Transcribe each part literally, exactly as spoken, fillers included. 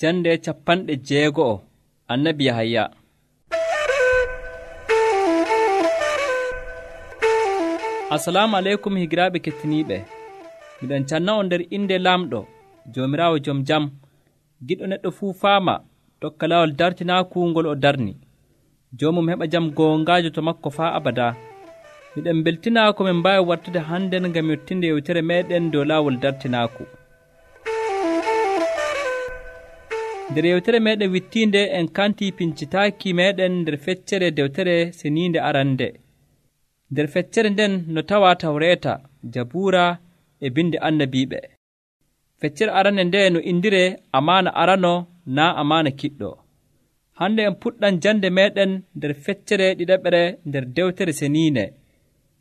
Jande capanɗe jeego'o annabi Yahaya. Assalamu aleykum higiraaɓe kettiniiɓe. Miɗon canna on nder inde Laamɗo, Joomiraawo jom jam, giɗɗo neɗɗo fuu faama tokka laawol dartinaaku ngol o darni. Joomum heɓa jam goongaajo to makko faa abadaa. Miɗen mbeltinaa ko min mbaawi wartude hannden ngam yottinde yewtere meeɗen dow laawol dartinaaku. Nder yewtere meeɗen wittiinde en kantii pincitaaki meeɗen nder feccere dewtere seniinde arande. Nder feccere nden no tawaa Tawreeta, Jabuura e bindi annabiiɓe. Feccere arande nde no indiree amaana arano naa amaana kiɗɗo. Hande en puɗɗan jande meeɗen nder feccere ɗiɗaɓere nder dewtere seniinde.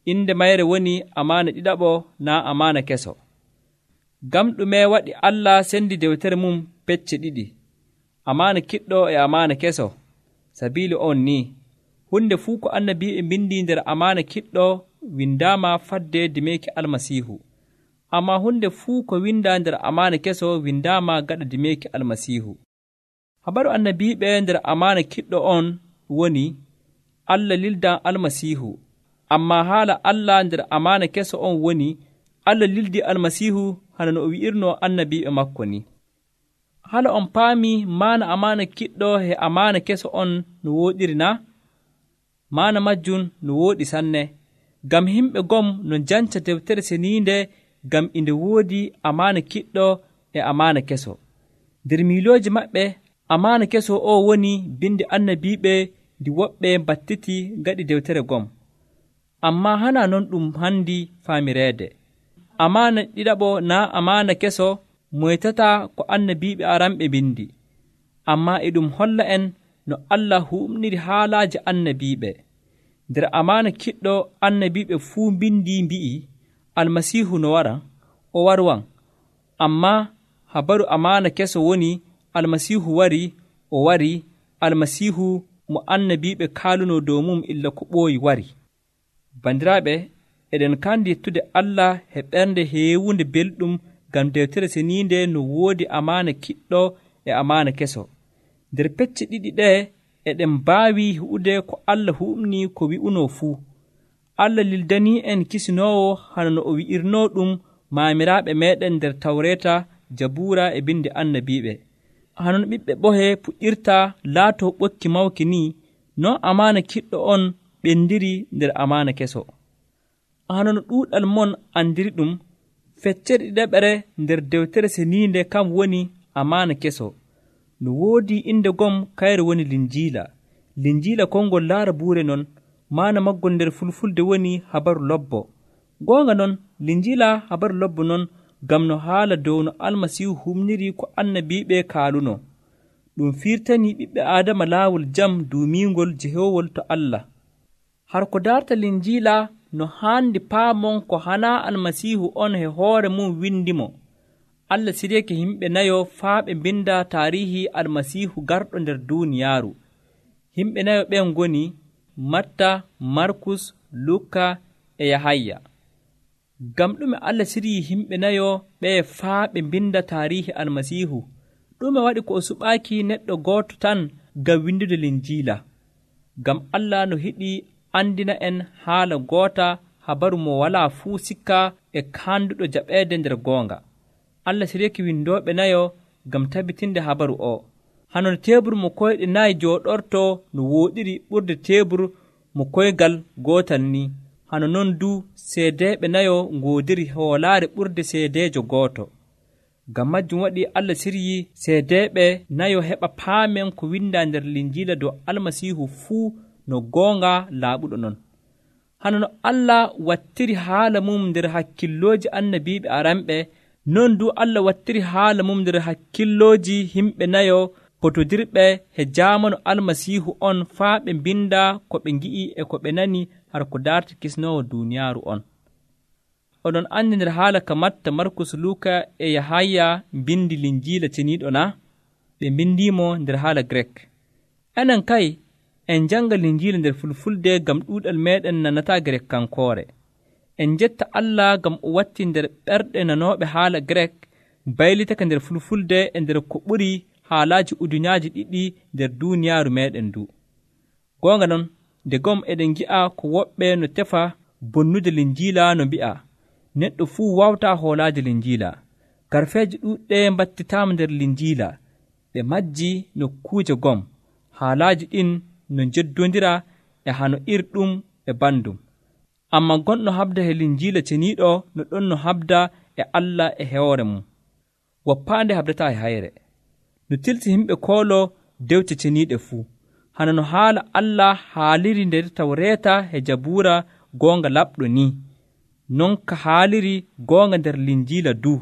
Inde mayre woni amaana ɗiɗaɓo naa amaana keso. Ngam ɗume waɗi Allah sendi dewtere mum pecce ɗiɗi, amaana kiɗɗo e amaana keso? Sabiili on ni, hunde fuu ko annabiiɓe mbindi nder amaana kiɗɗo windaama fadde dimeeki Almasiihu, ammaa hunde fuu ko windaa nder amaana keso windaama gaɗa dimeeki Almasiihu. Habaru annabiiɓe nder amaana kiɗɗo on woni Allah lildan Almasiihu, ammaa haala Allah nder amaana keso on woni Allah lildii Almasiihu hana no o wi'irnoo annabiiɓe makko ni. Hala on paami maana amaana kiɗɗo e amaana keso on no wooɗiri na? Maana majjum no wooɗi sanne, ngam himɓe gom no janca dewtere seniinde ngam inde woodi amaana kiɗɗo e amaana keso. Nder miilooji maɓɓe, amaana keso o woni bindi annabiiɓe ndi woɓɓe battiti gaɗi dewtere gom. Ammaa hana non ɗum handi faamireede. Amaana ɗiɗaɓo naa amaana keso moytataa ko annabiiɓe aranɓe bindi, ammaa e ɗum holla en no Allah huɓniri haalaaji annabiiɓe. Nder amaana kiɗɗo annabiiɓe fuu mbindi mbi'i Almasiihu no wara, o warwan. Ammaa habaru amaana keso woni Almasiihu wari, o wari, Almasiihu mo annabiiɓe kaalunoo dow mum illa ko ɓooyi wari. Bandiraaɓe, eɗen kandi yettude Allah e ɓernde heewunde belɗum ngam dewtere seniinde no woodi amaana kiɗɗo e amaana keso. Nder pecce ɗiɗi ɗee eɗen mbaawi hu'ude ko Allah huɓni ko wi'unoo fuu. Allah lildanii en kisinoowo hana no o wi'irnoo ɗum maamiraaɓe meeɗen nder Tawreeta, Jabuura e bindi annabiiɓe. Hana no ɓiɓɓe ɓohe puɗɗirta laatoo ɓokki mawki ni, non amaana kiɗɗo on ɓendiri nder amaana keso. Hana no ɗuuɗal mon andiri ɗum, feccere ɗiɗaɓere nder dewtere seniinde kam woni amaana keso. No woodi inde gom kayre woni Linjiila. Linjiila konngol laara buure non, maana maggol nder fulfulde woni habaru lobbo. Goonga non, Linjiila habaru lobbo non ngam no haala dow no Almasiihu humniri ko annabiiɓe kaaluno. Ɗum firtanii ɓiɓɓe Aadama laawol jam duumiingol jehoowol to Allah. Har ko darta Linjiila no haandi paamon ko hanaa Almasiihu on he hoore mum windimo. Allah siriyake himɓe nayo faa ɓe mbinda taarihi Almasiihu garɗo nder duuniyaaru. Himɓe nayo ɓen ngoni Matta, Markus, Luka e Yahaya. Ngam ɗume Allah siryii himɓe nayo ɓeye faa ɓe mbinda taarihi Almasiihu? Ɗume waɗi ko o suɓaaki neɗɗo gooto tan ngam windude Linjiila? Ngam Allah no hiɗi andina en haala goota, habaru mo walaa fuu sikka e kaanduɗo jaɓeede nder goonga. Allah siryake windooɓe nayo ngam tabitinde habaru o. Hano teebur mo koyɗe nayi jooɗortoo no wooɗiri ɓurde teebur mo koygal gootal ni, hano non du seedeeɓe nayo ngoodiri hoolaare ɓurde seedeejo gooto. Ngam majjum waɗi Allah siryii seedeeɓe nayo heɓa paamen ko windaa nder Linjiila dow Almasiihu fuu no goonga laaɓuɗo non. Hano no Allah wattiri haala mum nder hakkillooji annabiiɓe aranɓe, non du Allah wattiri haala mum nder hakkillooji himɓe nayo potodirɓe he jaamanu Almasiihu on faa ɓe mbinda ko ɓe ngi'i e ko ɓe nani har ko darta kisnoowo duuniyaaru on. Oɗon andi nder haala ka Matta, Markus, Luka e Yahaya mbindi Linjiila ceniiɗo na? Ɓe mbindiimo nder haala Grek. Enen kay en janga Linjiila nder Fulfulde ngam ɗuuɗal meeɗen nanataa Grekkankoore. En jetta Allah ngam o watti nder ɓerɗe nanooɓe haala Grek baylitaka nder Fulfulde e nder ko ɓuri haalaaji udunyaaji ɗiɗi nder duuniyaaru meeɗen ndu. Goonga non, nde gom eɗen ngi'a ko woɓɓe no tefa bonnude linjiila no mbi'a neɗɗo fuu wawtaa hoolaade linjiila. Garfeeje ɗuuɗɗe mbattitaama nder linjiila, ɓe majji nokkuuje gom. Haalaaji ɗin no njeddondira e hano irɗum e bandum. Amma gonɗo habda e linjiila ceniiɗo no ɗon no habda e Allah e hoore mum. Woppaande habdataa e hayre. No tilti yimɓe koolo dewte ceniiɗe fuu. Hana no haala Allah haaliri nder Tawreeta e Jabuura goonga laɓɗo ni, non ka haaliri goonga nder linjiila du.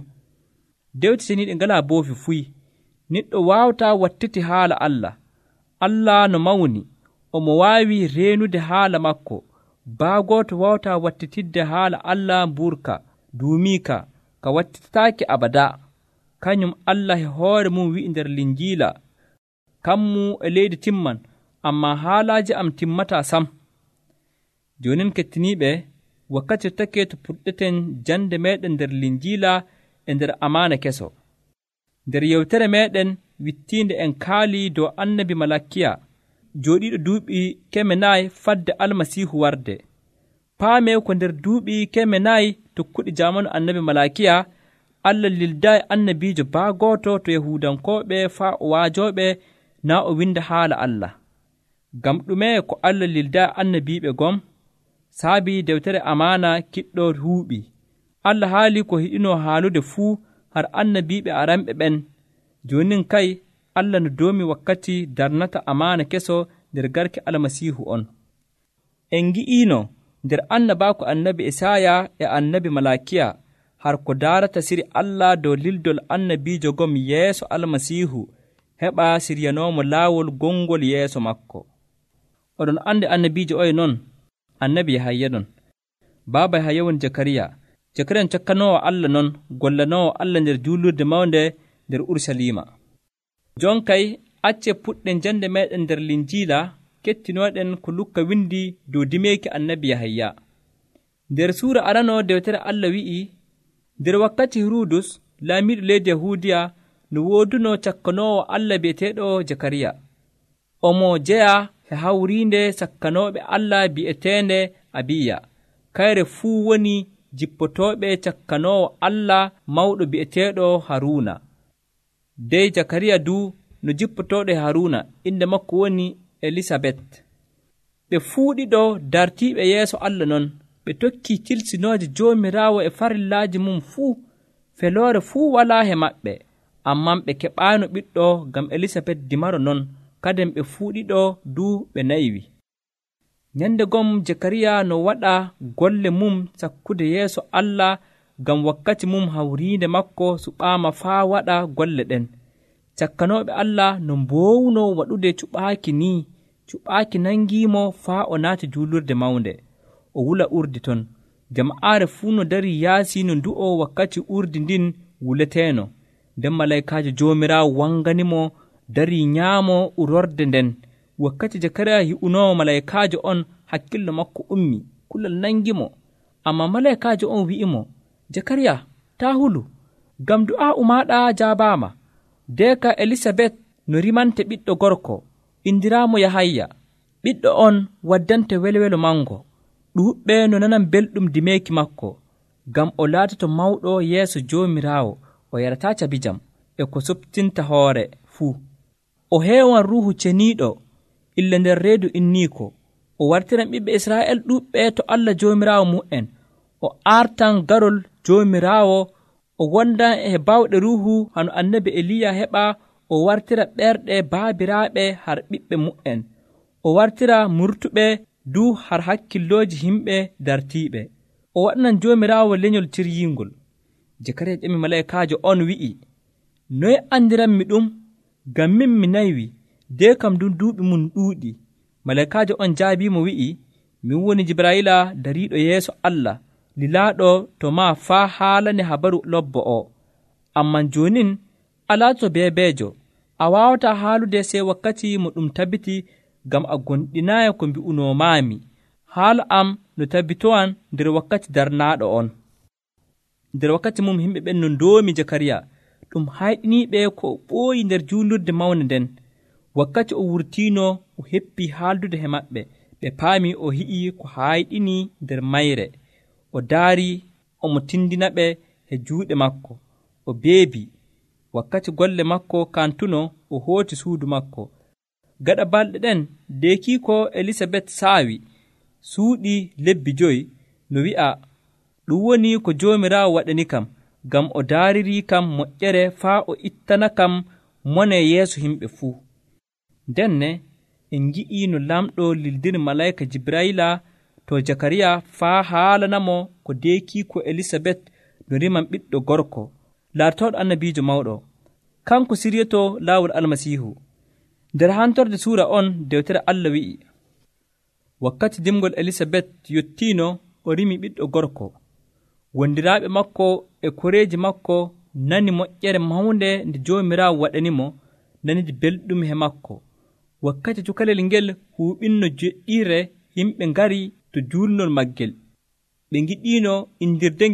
Dewte ceniiɗe ngalaa boofi fuy. Neɗɗo waawataa wattiti haala Allah. Allah no mawni, omo waawi reenude haala makko. Baa gooto waawataa wattitidde haala Allah mburka, duumiika, ka wattitataake abadaa. Kañum Allah e hoore mum wi'i nder linjiila, kammu e leydi timman, ammaa haalaaji am timmataa sam. Joonin kettiniiɓe, wakkati take to puɗɗeten jande meeɗen nder linjiila e nder amaana keso. Nder yewtere meeɗen wittiinde en kaali dow annabi Malakiya, jooɗiiɗo duuɓi keme nayi fadde Almasiihu warde. Paamee ko nder duuɓi keme nayi tokkuɗi jaamanu annabi Malakiya, Allah lildaayi annabiijo baa gooto to Yahuudankooɓe faa o waajooɓe naa o winda haala Allah. Ngam ɗume ko Allah lildaayi annabiiɓe gom? Saabi dewtere amaana kiɗɗo huuɓi. Allah haali ko hiɗino haalude fuu har annabiiɓe aranɓe ɓen. Joonin kay Allah no doomi wakkati darnata amaana keso nder garke Almasiihu on. En ngi'iino nder annabaako annabi Isaaya e annabi Malakiya har ko daarata siri Allah dow lildol annabiijo gom yeeso Almasiihu heɓa siryanoomo laawol gongol yeeso makko. Oɗon andi annabiijo oye non, annabi Yahaya non. Baaba Yahaya woni Jakariya. Jakariya cakkanoowo Allah non, gollanoowo Allah nder juulurde mawnde nder Urusalima. Jon kay acce puɗɗen jande meeɗen nder linjiila, kettinooɗen ko Lukka windi dow dimeeki annabi Yahaya. Nder suura arano dewtere Allah wi'i, nder wakkati Hirudus laamiiɗo leydi Yahuudiya no wooduno cakkanoowo Allah bi'eteeɗo Jakariya. Omo jeya e hawriinde sakkanooɓe Allah bi'eteende Abiya. Kayre fuu woni jippotooɓe cakkanoowo Allah mawɗo bi'eteeɗo Haruuna. Dey Jakariya du no jippotooɗo e Haruuna, inde makko woni Elisabet. Ɓe fuu ɗiɗo dartiiɓe yeeso Allah non, ɓe tokkii tilsinooje Joomiraawo e farillaaji mum fuu. Feloore fuu walaa he maɓɓe, amman ɓe keɓaano ɓiɗɗo ngam Elisabet dimaro non, kadin ɓe fuu ɗiɗo du ɓe nayiwi. Nyande gom Jakariya no waɗa golle mum sakkude yeeso Allah ngam wakkati mum hawriinde makko suɓaama faa waɗa golle ɗen. Cakkanooɓe Allah no mboowno waɗude cuɓaaki ni, cuɓaaki nangiimo faa o naati juulurde mawnde. O wula urdi ton. Jama'aare fuu no darii yaasi no ndu'o wakkati urdi ndin wuleteeno. Nden malaykaajo Joomiraawo wanganimo darii nyaamo urorde nden. Wakkati Jakariya yi'unoo malaykaajo on, hakkillo makko ummi, kulol nangimo. Amma malaykaajo on wi'imo, Jakariya, taa hulu, ngam du'aa'u maaɗa jaabaama. Deeka Elisabet no rimante ɓiɗɗo gorko, indiraamo Yahaya. Ɓiɗɗo on waddante welwelo mango. Ɗuuɓɓe no nanan belɗum dimeeki makko, ngam o laatoto mawɗo yeeso Joomiraawo, o yarataa cabijam e ko soɓtinta hoore fuu. O heewan ruuhu ceniiɗo illa nder reedu inniiko. O wartiran ɓiɓɓe Israa'el ɗuuɓɓe to Allah Joomiraawo mu'en. O aartan garol Joomiraawo. O wondan e bawɗe ruuhu hano annabi Eliya heɓa. O wartira ɓerɗe baabiraaɓe har ɓiɓɓe mu'en. O wartira murtuɓe du har hakkillooji himɓe dartiiɓe. O waɗanan Joomiraawo lenyol ciryiingol. Jakariya ƴemi malaykaajo on wi'i, noye andiranmi ɗum? Ngam min mi naywi, de kam dun duuɓi mum ɗuuɗi. Malaykaajo on jaabiimo wi'i, min woni Jibrayila dariiɗo yeeso Allah, lilaaɗo to maa faa haalane habaru lobbo o. Amman joonin a laatoto beebeejo, a waawataa haalude sey wakkati mo ɗum tabbiti, ngam a gonɗinaayi ko mbi'unoomaami. Haala am no tabbitowan nder wakkati darnaaɗo on. Nder wakkati mum yimɓe ɓen no ndoomi Jakariya, ɗum hayɗiniiɓe ko o ɓooyi nder juulurde mawnde nden. Wakkati o wurtiino o heppii haaldude he maɓɓe, ɓe paami o hi'i ko hayɗini nder mayre. O daari omo tindinaɓe he juuɗe makko, o beebi. Wakkati golle makko kantuno, o hooti suudu makko. Gaɗa balɗe ɗen deekiiko Elisabet saawi suuɗi lebbi joyi, no wi'a ɗum woni ko Joomiraawo waɗani kam, ngam o daaririi kam moƴƴere faa o ittana kam mone yeeso yimɓe fuu. Ndenne en ngi'ii no lamɗo lildiri malayika Jibrayila to Jakariya faa haalanamo ko deekiiko Elisabet no riman ɓiɗɗo gorko laatooɗo annabiijo mawɗo. Kanko siryotoo laawol Almasiihu. Nder hantorde suura on dewtere Allah wi'i, wakkati dimgol Elisabet yottiino o rimi ɓiɗɗo gorko. Wondiraaɓe makko e koreeji makko nani moƴƴere mawnde nde Joomiraawo waɗanimo, nanidi belɗum he makko. Wakkati cukalel ngel huuɓinno jeɗɗiire, yimɓe ngari to juulnol maggel. Ɓe ngiɗiino indirde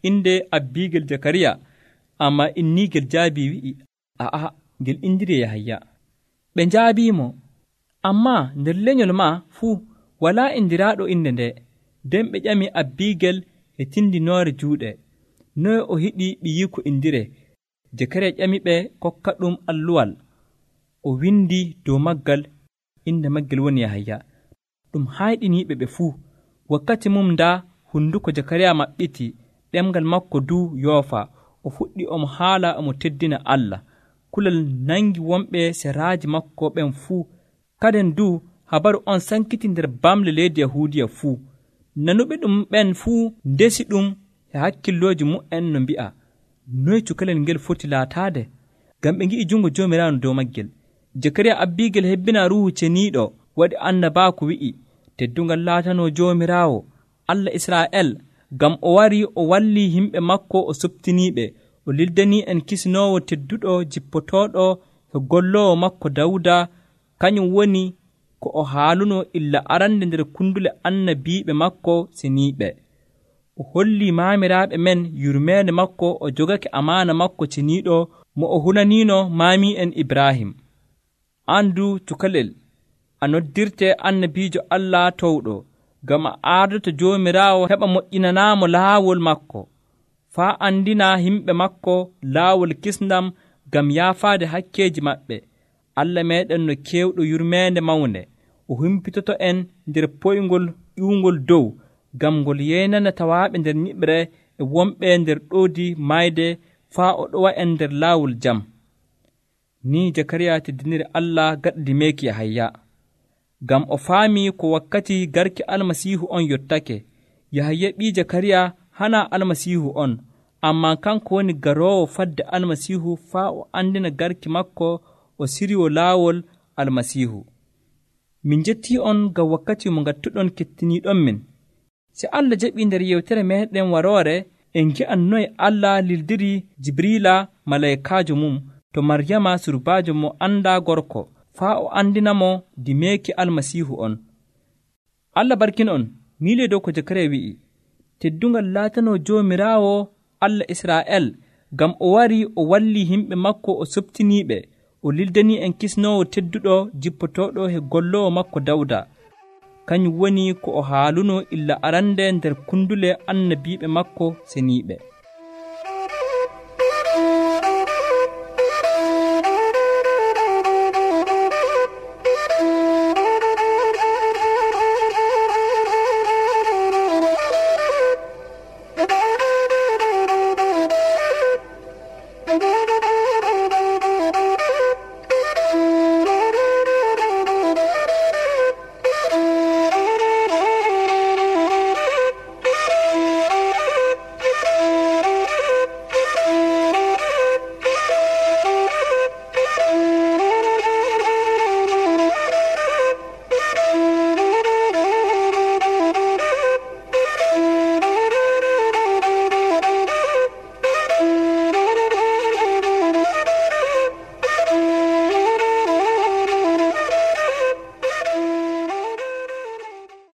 inde abbiigel Jakariya, amma inniigel jaabii wi'i, aa, ngel indiri Yahaya. Ɓe njaabiimo, ammaa nder lenyol maa fuu walaa indiraaɗo inde nde. Nden ɓe ƴami abbiigel e tindinoore juuɗe, noye o hiɗi ɓiyiiko indire. Jakariya ƴami ɓe kokka ɗum alluwal. O windi dow maggal, inde maggel woni Yahaya. Ɗum hayɗiniiɓe ɓe fuu. Wakkati mum ndaa hunduko Jakariya maɓɓiti, ɗemgal makko duu yoofa. O fuɗɗi omo haala omo teddina Allah. Kulal nangi wonɓe seraaji makko ɓen fuu. Kaden duu habaru on sankiti nder bamle leydi Yahuudiya fuu. Nanuɓe ɗum ɓen fuu ndesi ɗum e hakkillooji mu'en no mbi'a, noye cukalel ngel foti laataade? Ngam ɓe ngi'i jungo Joomiraawo dow maggel. Jakariya abbiigel hebbina ruuhu ceniiɗo waɗi annabaaku wi'i, teddungal laatanoo Joomiraawo Allah Israa'el, ngam o warii o wallii yimɓe makko o softiniiɓe, o lildanii en kisnoowo tedduɗo jippotooɗo e golloowo makko Dawuda, kañum woni ko o haaluno illa arande nder kundule annabiiɓe makko seniiɓe. O hollii maamiraaɓe men yurmeende makko, o jogake amaana makko ceniiɗo mo o hunaniino maami'en Ibrahim. Andu cukalel a noddirte annabiijo Allah towɗo, ngam a ardoto Joomiraawo heɓa moƴƴinanaamo laawol makko, faa andina yimɓe makko laawol kisndam ngam yaafaade hakkeeji maɓɓe. Allah meeɗen no keewɗo yurmeende mawnde, o humpitoto en nder poyngol ƴuungol dow, ngam ngol yeynana tawaaɓe nder nyiɓre e wonɓe nder ɗoodi mayde, faa o ɗowa en nder laawol jam. Ni Jakariya teddiniri Allah gaɗa dimeeki Yahaya, ngam o faami ko wakkati garki Almasiihu on yottake. Yahaya ɓii Jakariya hana Almasiihu on, amma kanko woni garoowo fadde Almasiihu faa o andina garki makko o siryo laawol Almasiihu. Min njettii on ngam wakkati mo ngattuɗon kettiniiɗon min. Si Allah jaɓii nder yewtere meeɗen waroore, en ngi'an noye Allah lildiri Jibrila malaykaajo mum to Maryama surbaajo mo anndaa gorko, faa o andinamo dimeeki Almasiihu on. Allah barkin on, miile dow ko Jakariya wi'i, teddungal laatanoo Joomiraawo Allah Israa'el, ngam o warii o wallii yimɓe makko o softiniiɓe, o lildanii en kisnoowo tedduɗo jippotooɗo he golloowo makko Dawda. Kañum woni ko o haaluno illa arande nder kundule annabiiɓe makko seniiɓe. Thank you.